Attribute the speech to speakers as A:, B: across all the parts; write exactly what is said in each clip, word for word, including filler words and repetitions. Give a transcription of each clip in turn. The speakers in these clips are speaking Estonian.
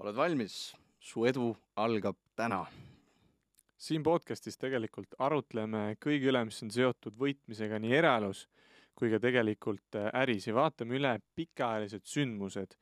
A: oled valmis? Su edu algab täna.
B: Siin podcastis tegelikult arutleme kõige üle, mis on seotud võitmisega nii eraelus kui ka tegelikult äris ja vaatame üle pikaajalised sündmused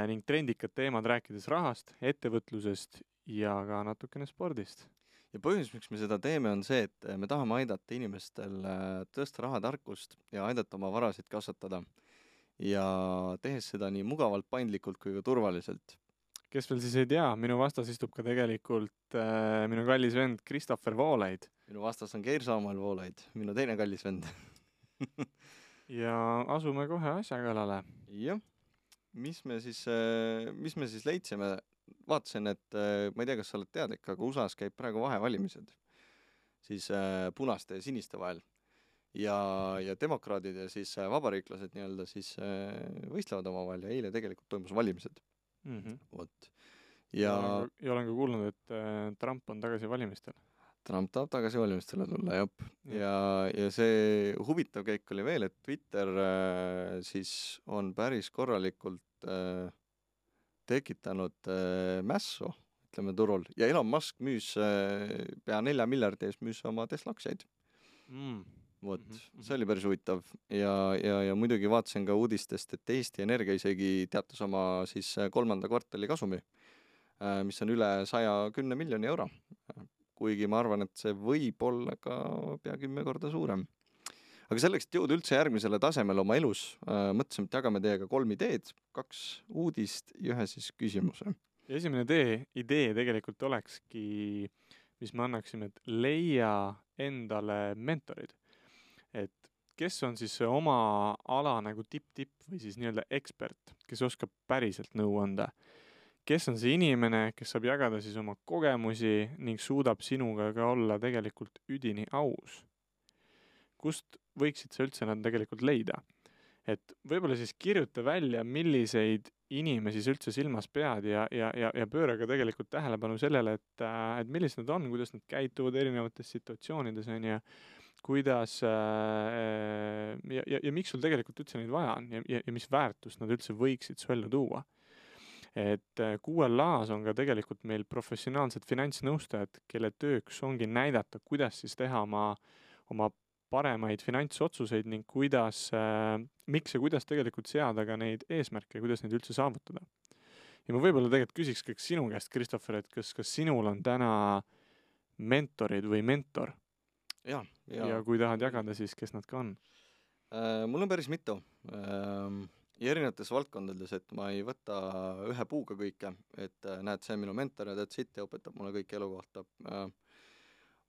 B: ning trendikad teemad, rääkides rahast, ettevõtlusest ja ka natukene spordist.
A: Ja põhjus, miks me seda teeme, on see, et me tahame aidata inimestel tõsta rahatarkust ja aidata oma varasid kasvatada. Ja tehes seda nii mugavalt, paindlikult kui ka turvaliselt.
B: Kes veel siis ei tea, minu vastas istub ka tegelikult äh, minu kallis vend Christopher Voolaid.
A: Minu vastas on Geir-Samuel Voolaid, minu teine kallis vend.
B: Ja asume kohe asja kallale.
A: Jah, mis me siis, mis me siis leidsime? Vaatasin, et ma ei tea, kas sa oled teadlik, aga U S A-s käib praegu vahevalimised siis punaste ja siniste vahel. Ja, ja demokraadid ja siis vabariiklased nii-öelda siis võistlevad oma vahel ja eile tegelikult toimus valimised.
B: Mm-hmm.
A: Vot.
B: Ja, ja, ja olen ka kuulnud, et Trump on tagasi valimistel.
A: Trump tahab tagasi valimistele tulla, jop. Ja, ja see huvitav käik oli veel, et Twitter äh, siis on päris korralikult äh, tekitanud äh, mässu, ütleme turul. Ja Elon Musk müüs äh, pea nelja miljardi ees müüs oma Tesla aktsiaid.
B: Mm.
A: Vot, mm-hmm. See oli päris huvitav. Ja, ja, ja muidugi vaatasin ka uudistest, et Eesti Energia isegi teatas oma siis kolmanda kvartali kasumi, äh, mis on üle saja kümne miljoni euro. Kuigi ma arvan, et see võib olla ka pea kümme korda suurem. Aga selleks, et jõuda üldse järgmisele tasemele oma elus, äh, mõtlesime, et jagame teiega kolm ideed, kaks uudist ja ühe siis küsimuse.
B: Ja esimene idee, idee tegelikult olekski, mis me annaksime, et leia endale mentorid. Et kes on siis oma ala nagu tipp-tipp või siis nii-öelda ekspert, kes oskab päriselt nõu anda. Kes on see inimene, kes saab jagada siis oma kogemusi ning suudab sinuga ka olla tegelikult üdini aus. Kust võiksid sa üldse nad tegelikult leida? Et võib-olla siis kirjuta välja, milliseid inimesi üldse silmas pead ja, ja, ja, ja pööra ka tegelikult tähelepanu sellele, et, et millised nad on, kuidas nad käituvad erinevates situatsioonides on ja kuidas äh, ja, ja, ja miks sul tegelikult üldse neid vaja on ja, ja, ja mis väärtust nad üldse võiksid su ellu tuua. Et Q L A-s on ka tegelikult meil professionaalsed finantsnõustajad, kelle tööks ongi näidata, kuidas siis teha oma, oma paremaid finantsotsuseid ning kuidas, äh, miks ja kuidas tegelikult seada ka neid eesmärke ja kuidas neid üldse saavutada. Ja ma võib-olla tegelikult küsiks kõik sinu käest, Christopher, et kas, kas sinul on täna mentorid või mentor?
A: Ja, ja.
B: ja kui tahad jagada, siis kes nad ka on?
A: Äh, mul on päris mitu. Äh, Ja erinevates valdkondades, et ma ei võta ühe puuga kõike, et näed, see on minu mentor ja that's it ja õpetab mulle kõik elu kohta.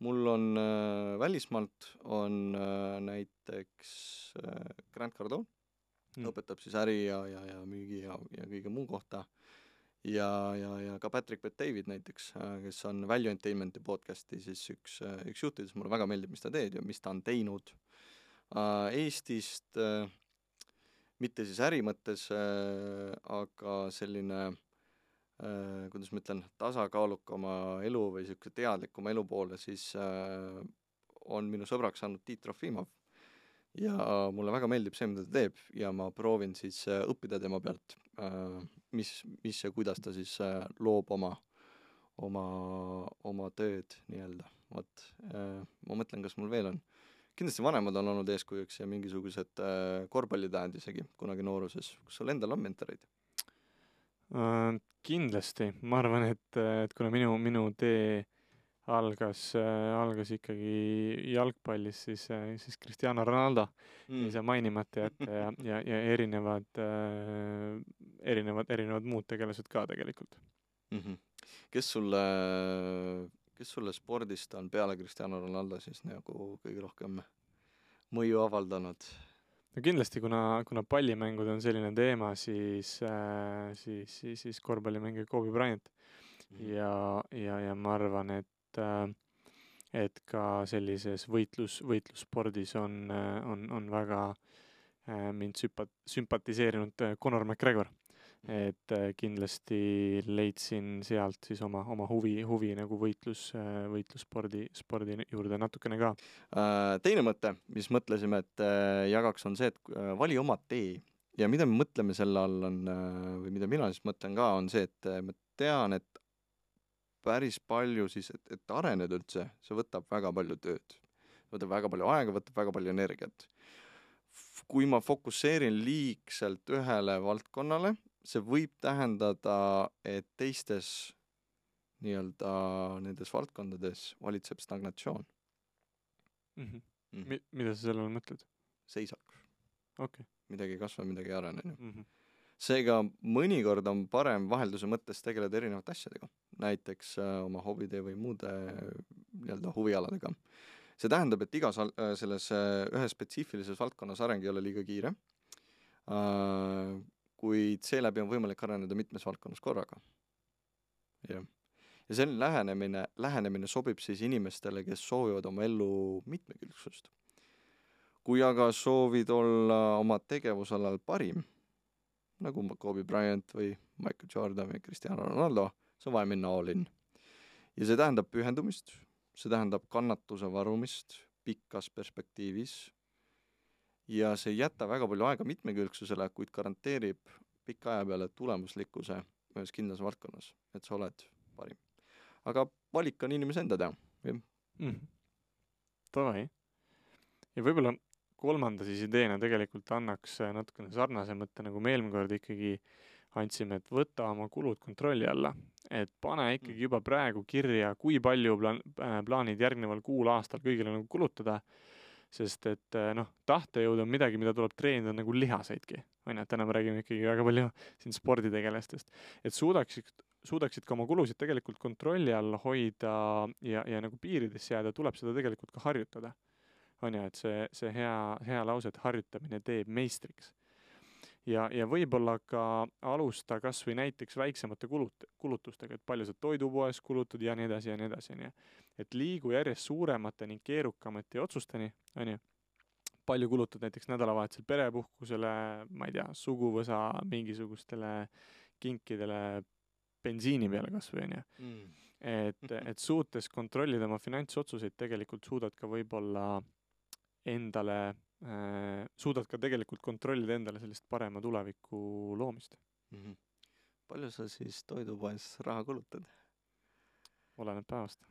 A: Mul on äh, välismaalt on äh, näiteks äh, Grant Cardone, mm. õpetab siis äri ja, ja, ja müügi ja, ja kõige muu kohta. Ja, ja, ja ka Patrick Bet-David näiteks, äh, kes on Value Entertainmenti podcasti, siis üks, äh, üks juhtides mulle väga meeldib, mis ta teed ja mis ta on teinud. Äh, Eestist... Äh, mitte siis äri mõttes, äh, aga selline, äh, kuidas ma ütlen, tasakaalukama elu või selline teadlikuma elu poole, siis äh, on minu sõbraks saanud Tiit Trofimov. Ja mulle väga meeldib see, mida ta teeb ja ma proovin siis äh, õppida tema pealt, äh, mis, mis ja kuidas ta siis äh, loob oma, oma, oma tööd nii-öelda. Vot, äh, ma mõtlen, kas mul veel on. Kindlasti vanemad on olnud eeskujuks ja mingisugused äh, korvpallitähed isegi kunagi nooruses. Kas sul endal on mentoreid?
B: Uh, kindlasti. Ma arvan, et, et kuna minu, minu tee algas, äh, algas ikkagi jalgpallis, siis, äh, siis Cristiano Ronaldo mm. ei saa mainimata jätta ja, ja, ja erinevad, äh, erinevad, erinevad muud tegelased ka tegelikult.
A: Mm-hmm. Kes sulle... Kes sulle spordist on peale Cristiano Ronaldo siis nagu kõige rohkem mõju avaldanud?
B: No kindlasti, kuna, kuna pallimängud on selline teema, siis, äh, siis, siis, siis korvpallimängija Kobe Bryant. Mm-hmm. Ja, ja, ja ma arvan, et, äh, et ka sellises võitlus, võitlusspordis on, on, on väga äh, mind sümpat, sümpatiseerinud Conor McGregor. Et kindlasti leidsin sealt siis oma, oma huvi, huvi nagu võitlus, võitlusspordi spordi juurde natukene ka.
A: Teine mõte, mis mõtlesime, et jagaks on see, et vali oma tee. Ja mida me mõtleme selle all on, või mida mina siis mõtlen ka, on see, et me tean, et päris palju siis, et, et areneda üldse, see võtab väga palju tööd. Võtab väga palju aega, võtab väga palju energiat. Kui ma fokusseerin liigselt ühele valdkonnale, see võib tähendada, et teistes nii-öelda nendes valdkondades valitseb stagnatsioon.
B: Mm-hmm. Mm. Mi- mida sa sellele mõtled?
A: Seisak.
B: Okay.
A: Midagi ei kasva, midagi ei arene.
B: Mm-hmm.
A: Seega mõnikord on parem vahelduse mõttes tegeleda erinevate asjadega, näiteks äh, oma hobide või muude nii-öelda huvialadega. See tähendab, et igas äh, selles äh, ühes spetsiifilises valdkonnas areng ei ole liiga kiire, äh, kuid seeläbi on võimalik areneda mitmes valdkonnas korraga. Ja, ja see lähenemine, lähenemine sobib siis inimestele, kes soovivad oma ellu mitmekülgsust. Kui aga soovid olla oma tegevusalal parim, nagu Kobe Bryant või Michael Jordan või Cristiano Ronaldo, see on vaja minna all in. Ja see tähendab pühendumist, see tähendab kannatuse varumist pikas perspektiivis ja see ei jäta väga palju aega mitmekülgsusele, kuid garanteerib pika aja peale tulemuslikkuse ühes kindlas valdkonnas, et sa oled parim. Aga valik on inimese enda teha.
B: Mm. Tavai. Ja võib-olla kolmanda siis ideena tegelikult annaks natukene sarnase mõtte, nagu me eelmine kord ikkagi andsime, et võta oma kulud kontrolli alla. Et pane ikkagi juba praegu kirja, kui palju plaan, plaanid järgneval kuul aastal kõigile nagu kulutada, sest et noh, tahtejõud on midagi, mida tuleb treenida nagu lihaseidki. Aina, täna me räägime ikkagi väga palju siin sporditegelastest. Et suudaksid, suudaksid ka oma kulusid tegelikult kontrolli alla hoida ja, ja nagu piirides jääda, tuleb seda tegelikult ka harjutada. On ja, et see, see hea, hea lause, et harjutamine teeb meistriks. Ja, ja võib-olla ka alusta kas või näiteks väiksemate kulut, kulutustega, et palju sa toidupoes kulutad ja nii edasi ja nii edasi. Ja. Et liigu järjest suuremate ning keerukamate otsusteni, on ju, palju kulutad näiteks nädalavahetusel perepuhkusele, ma ei tea, suguvõsa mingisugustele kinkidele bensiini peale kas või, on ju. Mm. Et, et suutes kontrollida oma finantsotsuseid tegelikult suudad ka võib-olla endale, äh, suudad ka tegelikult kontrollida endale sellist parema tuleviku loomist.
A: Mm-hmm. Palju sa siis toidupoes raha kulutad?
B: Oleneb päevast.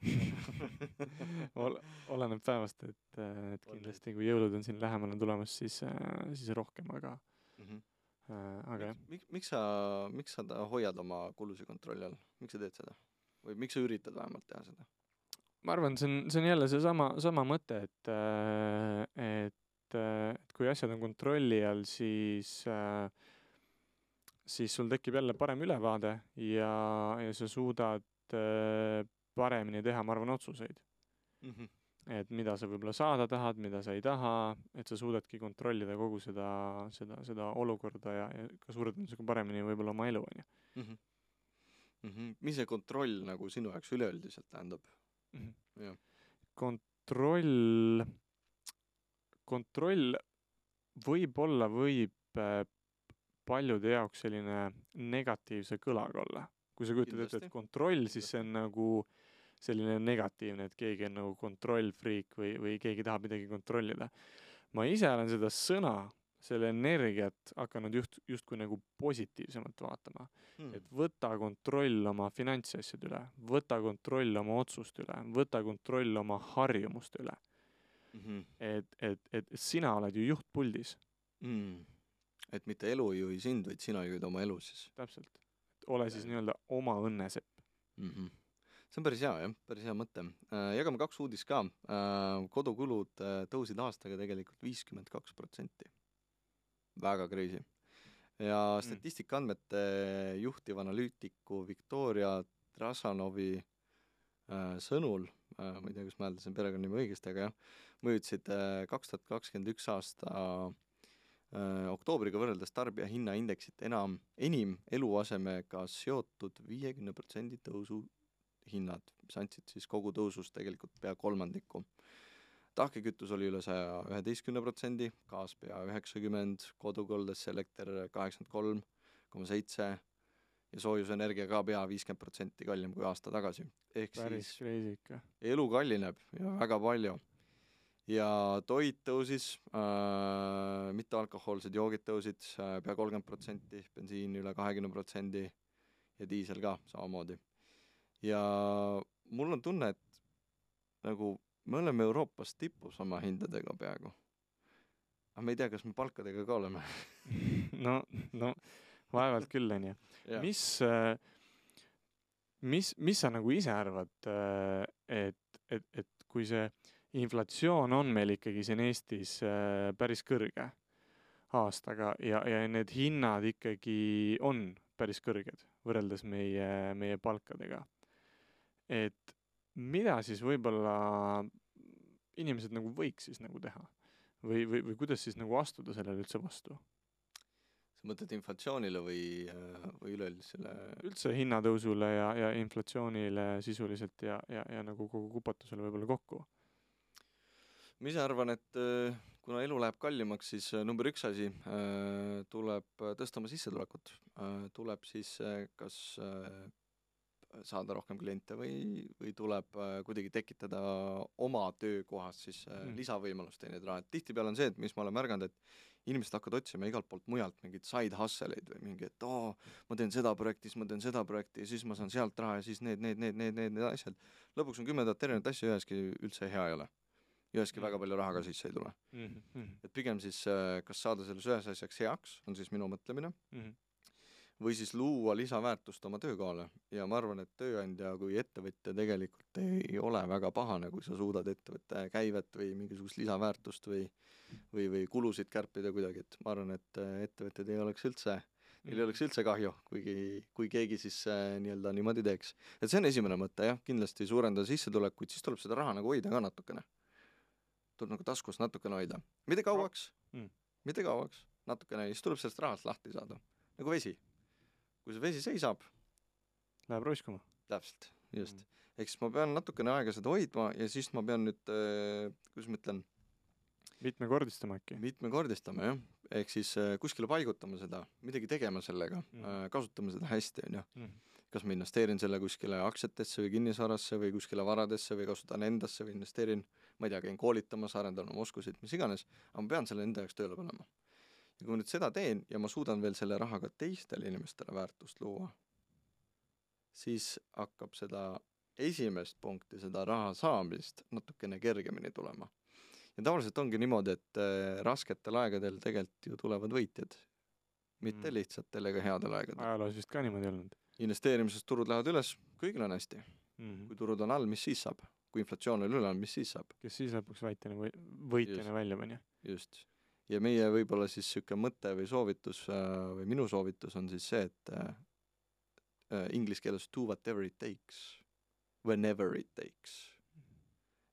B: Ol, oleneb päevast, et, et kindlasti kui jõulud on siin lähemale tulemas, siis, siis rohkem, aga,
A: mm-hmm.
B: äh, aga
A: jah. Miks, miks sa, miks sa hoiad oma kulusi kontrolli all? Miks sa teed seda? Või miks sa üritad vähemalt teha seda?
B: Ma arvan, see on, see on jälle see sama, sama mõte, et, et, et kui asjad on kontrolli all, siis, siis sul tekib jälle parem ülevaade ja, ja sa suudad paremini teha, ma arvan, otsuseid. Mm-hmm. Et mida sa võib-olla saada tahad, mida sa ei taha, et sa suudadki kontrollida kogu seda, seda, seda olukorda ja, ja ka suurendamisega paremini võib-olla oma elu.
A: Mm-hmm. Mm-hmm. Mis see kontroll nagu sinu jaoks üleüldiselt tähendab?
B: Mm-hmm. Kontroll, kontroll võib-olla võib paljude jaoks selline negatiivse kõlaga olla. Kui sa kujutad ette, et kontroll, siis see on nagu selline negatiivne, et keegi on nagu kontrollfriik või, või keegi tahab midagi kontrollida. Ma ise olen seda sõna, selle energiat hakanud just, justkui nagu positiivsemalt vaatama. Hmm. Et võta kontroll oma finantsasjad üle, võta kontroll oma otsust üle, võta kontroll oma harjumust üle. Mm-hmm. Et, et, et sina oled ju juhtpuldis.
A: Mm. Et mitte elu juhi sind, vaid sina juhid oma elu siis.
B: Täpselt. Et ole siis nii-öelda oma õnnesepp.
A: Mm-hmm. See on päris hea, jah, päris hea mõte. Äh, jagame kaks uudis ka. Äh, kodukulud äh, tõusid aastaga tegelikult viiskümmend kaks protsenti. Väga crazy. Ja statistika andmete juhtiv analüütiku Viktoria Trasanovi äh, sõnul, äh, ma ei tea, kas ma hääldasin perekonnanimi õigesti, aga jah, mõjutasid äh, kaks tuhat kakskümmend üks aasta äh, oktoobriga võrreldes tarbija hinnaindeksit enam, enim eluasemega seotud viiekümne protsendi tõusu hinnad, mis andsid siis kogu tõusust tegelikult pea kolmandiku. Tahkekütus oli üle saja üheteistkümne protsendi, gaas pea üheksakümmend, kodukoldes elekter kaheksakümmend kolm koma seitse ja soojusenergia ka pea viiskümmend protsenti kallim kui aasta tagasi. Ehk
B: päris
A: siis elu kallineb ja väga palju. Ja toit tõusis, äh, mitte alkohoolsed joogid tõusid äh, pea kolmkümmend protsenti, bensiin üle kahekümne protsendi ja diisel ka samamoodi. Ja mul on tunne, et nagu me oleme Euroopas tipus oma hindadega peaaegu. Aga me ei tea, kas me palkadega ka oleme.
B: no, no vaevalt küll, on ju. Mis, mis, mis sa nagu ise arvad, et, et, et kui see inflatsioon on meil ikkagi siin Eestis päris kõrge aastaga ja, ja need hinnad ikkagi on päris kõrged võrreldes meie, meie palkadega. Et mida siis võib-olla inimesed nagu võiks siis nagu teha? Või, või, või kuidas siis nagu astuda sellele üldse vastu?
A: Sa mõtled inflatsioonile või, või üleüldisele?
B: Üldse hinnatõusule ja, ja inflatsioonile sisuliselt ja, ja, ja nagu kogu kupatusele võib-olla kokku?
A: Ma ise arvan, et kuna elu läheb kallimaks, siis number üks asi tuleb tõsta oma sissetulekut. Tuleb siis kas saada rohkem kliente või, või tuleb kuidagi tekitada oma töökohas siis mm. lisavõimalust teenida raha. Tihtipeale on see, et mis ma olen märganud, et inimesed hakkavad otsima igalt poolt mujalt mingid side hustle'id või mingi, et oo, ma teen seda projekti, siis ma teen seda projekti ja siis ma saan sealt raha ja siis need, need, need, need, need, need asjad. Lõpuks on kümnendat erinevat asja üheski üldse hea ei ole. Üheski mm. väga palju raha ka sisse ei tule. Mm-hmm. Et pigem siis kas saada selles ühes asjaks heaks, on siis minu mõtlemine, mm-hmm. või siis luua lisaväärtust oma töökohale. Ja ma arvan, et tööandja kui ettevõtja tegelikult ei ole väga pahane, kui sa suudad ettevõtte käivet või mingisugust lisaväärtust või, või, või kulusid kärpida kuidagi. Et ma arvan, et ettevõtted ei oleks üldse, neil ei oleks üldse kahju, kuigi, kui keegi siis äh, nii-öelda niimoodi teeks. Et see on esimene mõte, jah, kindlasti suurendada sissetulekuid, siis tuleb seda raha nagu hoida ka natukene. Tuleb nagu taskus natukene hoida. Mitte kauaks, mm. mitte kauaks, natukene, siis tuleb sellest rahast lahti saada. Nagu vesi. Kui see vesi seisab,
B: läheb roiskuma.
A: Täpselt, just. Mm. Eks ma pean natukene aega seda hoidma ja siis ma pean nüüd, äh, kuidas ma ütlen,
B: mitmekordistama äkki.
A: Mitmekordistama, jah. Ehk siis äh, kuskile paigutama seda, midagi tegema sellega, mm. äh, kasutama seda hästi, on ju. Mm. Kas ma investeerin selle kuskile aktsiatesse või kinnisvarasse või kuskile varadesse või kasutan endasse või investeerin, ma ei tea, käin koolitamas, arendan oma oskusid, mis iganes, aga ma pean selle enda jaoks tööle panema. Ja kui ma nüüd seda teen ja ma suudan veel selle rahaga teistele inimestele väärtust luua, siis hakkab seda esimest punkti, seda raha saamist natukene kergemini tulema. Ja tavaliselt ongi niimoodi, et äh, rasketel aegadel tegelikult ju tulevad võitjad, mitte mm. lihtsatel ega headel aegadel.
B: Ajaloos vist ka niimoodi olnud.
A: Investeerimisest turud lähevad üles, kõigil on hästi. Mm-hmm. Kui turud on all, mis siis saab? Kui inflatsioon on üle, mis siis saab?
B: Kes siis lõpuks võitjana, või, võitjana välja pani?
A: Just. Ja meie võib-olla siis süke mõte või soovitus või minu soovitus on siis see, et äh, inglis keeles do whatever it takes, whenever it takes.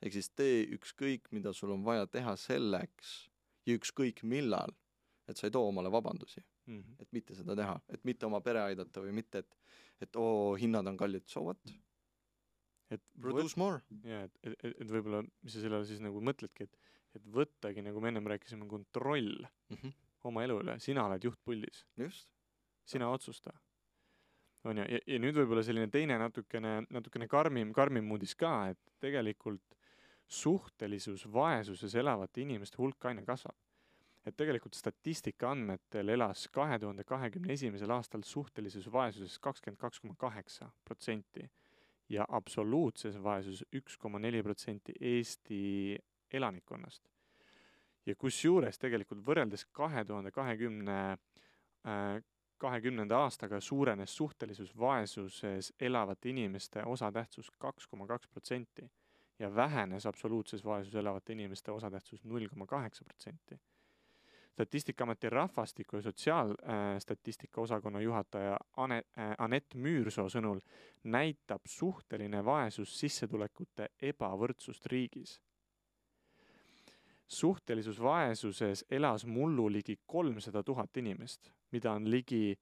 A: Ehk siis tee ükskõik, mida sul on vaja teha selleks ja ükskõik millal, et sa ei too omale vabandusi, mm-hmm. et mitte seda teha, et mitte oma pere aidata või mitte, et, et oo, hinnad on kallid, so what?
B: Et
A: produce more.
B: Ja, et, et, et, et võib-olla, mis sa sellele siis nagu mõtledki, et, et võttagi, nagu me ennem rääkisime, kontroll mm-hmm. oma elu üle. Sina oled juhtpullis.
A: Just.
B: Sina ja. Otsusta. On ja, ja, ja nüüd võib-olla selline teine natukene, natukene karmim, karmim muudis ka, et tegelikult suhtelisus vaesuses elavate inimeste hulk aina kasvab. Et tegelikult statistika andmetel elas kahe tuhande kahekümne esimesel aastal suhtelisus vaesuses kakskümmend kaks koma kaheksa protsenti ja absoluutses vaesuses üks koma neli protsenti Eesti elanikkonnast. Ja kus juures tegelikult võrreldes kahe tuhande kahekümne, kahekümnenda aastaga suurenes suhtelisus vaesuses elavate inimeste osatähtsus kaks koma kaks protsenti ja vähenes absoluutses vaesuses elavate inimeste osatähtsus null koma kaheksa protsenti. Statistikaameti rahvastiku ja sotsiaalstatistika osakonna juhataja Anett Müürsoo sõnul näitab suhteline vaesus sissetulekute ebavõrdsust riigis. Suhtelisus vaesuses elas mullu ligi kolmsada tuhat inimest, mida on ligi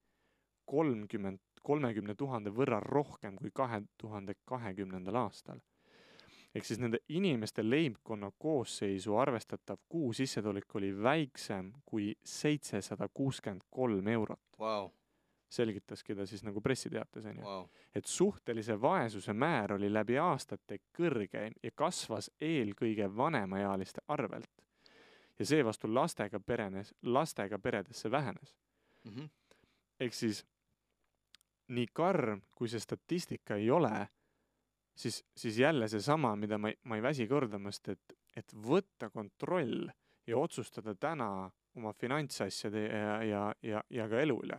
B: kolmkümmend, kolmekümne tuhande võrra rohkem kui kahe tuhande kahekümnendal aastal. Ehk siis nende inimeste leibkonna koosseisu arvestatav kuu sissetulek oli väiksem kui seitsesada kuuskümmend kolm eurot.
A: Wow.
B: Selgitaski ta siis nagu pressiteates.
A: Wow.
B: Et suhtelise vaesuse määr oli läbi aastate kõrge ja kasvas eelkõige vanemaealiste arvelt. Ja seevastu lastega, perenes, lastega peredesse vähenes. Mm-hmm. Ehk siis nii karm, kui see statistika ei ole, siis, siis jälle see sama, mida ma, ma ei väsi kordamast, et, et võtta kontroll ja otsustada täna oma finantsasjade ja, ja, ja, ja ka elu üle.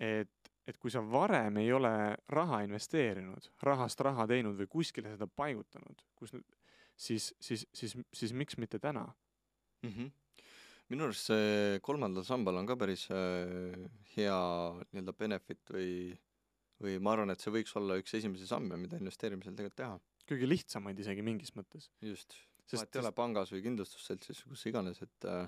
B: Et, et kui sa varem ei ole raha investeerinud, rahast raha teinud või kuskile seda paigutanud, kus, siis, siis, siis, siis miks mitte täna?
A: Mm-hmm. Minu arust see kolmandal sambal on ka päris äh, hea nii-öelda benefit või, või ma arvan, et see võiks olla üks esimesi samme, mida investeerimisel tegelikult teha.
B: Kõige lihtsamaid isegi mingis mõttes.
A: Just. Sest et ei ole pangas või kindlustusseltsis, kus iganes, et äh,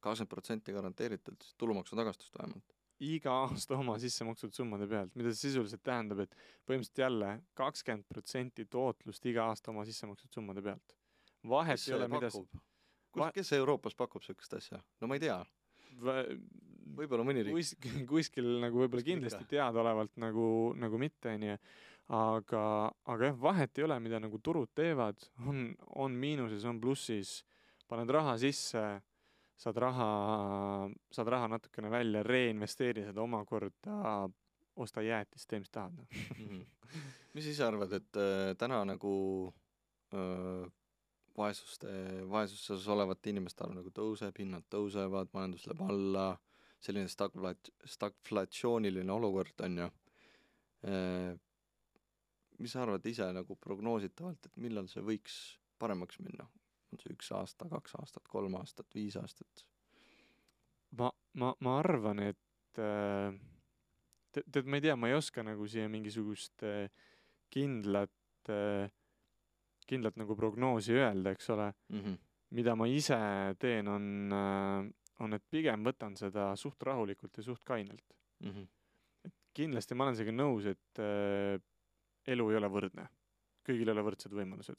A: kakskümmend protsenti garanteeritud tulumaksu tagastust vähemalt.
B: Iga aasta oma sissemakstud summade pealt, mida see sisuliselt tähendab, et põhimõtteliselt jälle kakskümmend protsenti tootlust iga aasta oma sissemakstud summade pealt. Vahet
A: kes
B: ei ole, mida...
A: Kus, kes Euroopas pakub sellist asja? No ma ei tea. Võib-olla mõni riik.
B: Kuis, kuskil nagu võib-olla kindlasti teadaolevalt nagu, nagu mitte, nii. Aga, aga jah, vahet ei ole, mida nagu turud teevad. On, on miinuses, on plussis. Paned raha sisse, saad raha, saad raha natukene välja, reinvesteeri seda omakorda, osta jäätist, tee mis tahad.
A: Mm-hmm. Mis ise arvad, et äh, täna nagu... Äh, vaesuste, vaesuses olevate inimeste arv nagu tõuseb, hinnad tõusevad, majandus läheb alla, selline stagflat, stagflatsiooniline olukord on ju. Mis sa arvad ise nagu prognoositavalt, et millal see võiks paremaks minna? On see üks aasta, kaks aastat, kolm aastat, viis aastat?
B: Ma, ma, ma arvan, et tead, te, ma ei tea, ma ei oska nagu siia mingisugust kindlat kindlalt nagu prognoosi öelda, eks ole.
A: Mm-hmm.
B: Mida ma ise teen, on, on, et pigem võtan seda suht rahulikult ja suht kainelt.
A: Mm-hmm.
B: Et kindlasti ma olen seega nõus, et äh, elu ei ole võrdne. Kõigil ei ole võrdsed võimalused.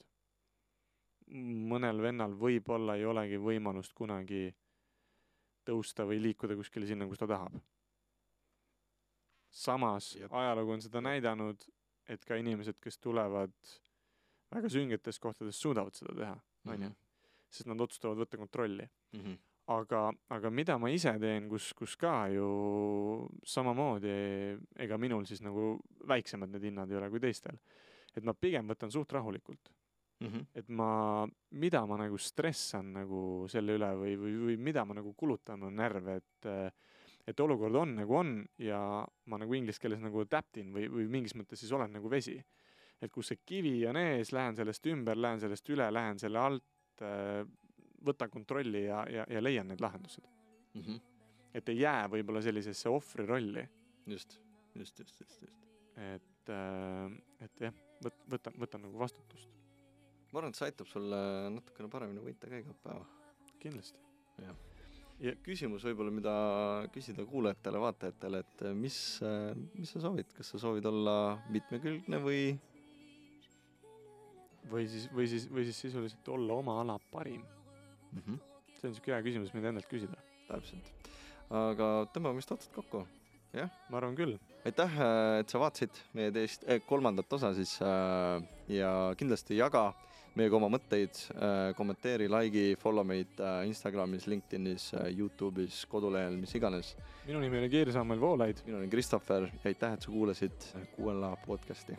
B: Mõnel vennal võib-olla ei olegi võimalust kunagi tõusta või liikuda kuskile sinna, kus ta tahab. Samas Jep. ajalugu on seda näidanud, et ka inimesed, kes tulevad väga süngetes kohtades suudavad seda teha, on ju, sest nad otsustavad võtta kontrolli.
A: Mm-hmm.
B: Aga, aga mida ma ise teen, kus, kus ka ju samamoodi, ega minul siis nagu väiksemad need hinnad ei ole kui teistel, et ma pigem võtan suht rahulikult. Mm-hmm. Et ma, mida ma nagu stressan nagu selle üle või, või, või mida ma nagu kulutan on närve, et, et olukord on nagu on ja ma nagu inglise keeles nagu adaptin või, või mingis mõttes siis olen nagu vesi. Et kus see kivi on ees, lähen sellest ümber, lähen sellest üle, lähen selle alt, võtan kontrolli ja, ja, ja leian need lahendused.
A: Mm-hmm.
B: Et ei jää võib-olla sellisesse ohvri rolli.
A: Just, just, just, just, just.
B: Et, et jah, võt, võtan, võtan nagu vastutust.
A: Ma arvan, et see aitab sulle natukene paremini võita ka iga päeva.
B: Kindlasti.
A: Ja. Ja küsimus võib-olla, mida küsida kuulajatele, vaatajatele, et mis, mis sa soovid? Kas sa soovid olla mitmekülgne või...
B: Või siis, või siis, või siis sisuliselt olla oma ala parim.
A: Mm-hmm.
B: See on siuke hea küsimus, mida endalt küsida.
A: Täpselt. Aga tõmbame vist otsad kokku. Jah?
B: Ma arvan küll.
A: Aitäh, et sa vaatasid meie teist eh, kolmandat osa siis äh, ja kindlasti jaga meiega oma mõtteid, äh, kommenteeri, like'i, follow meid äh, Instagramis, LinkedInis, äh, YouTube'is, kodulehel, mis iganes.
B: Minu nimi oli Keir Samuel Voolaid.
A: Minu nimi Kristoffer ja aitäh, et sa kuulasid Q L A podcasti.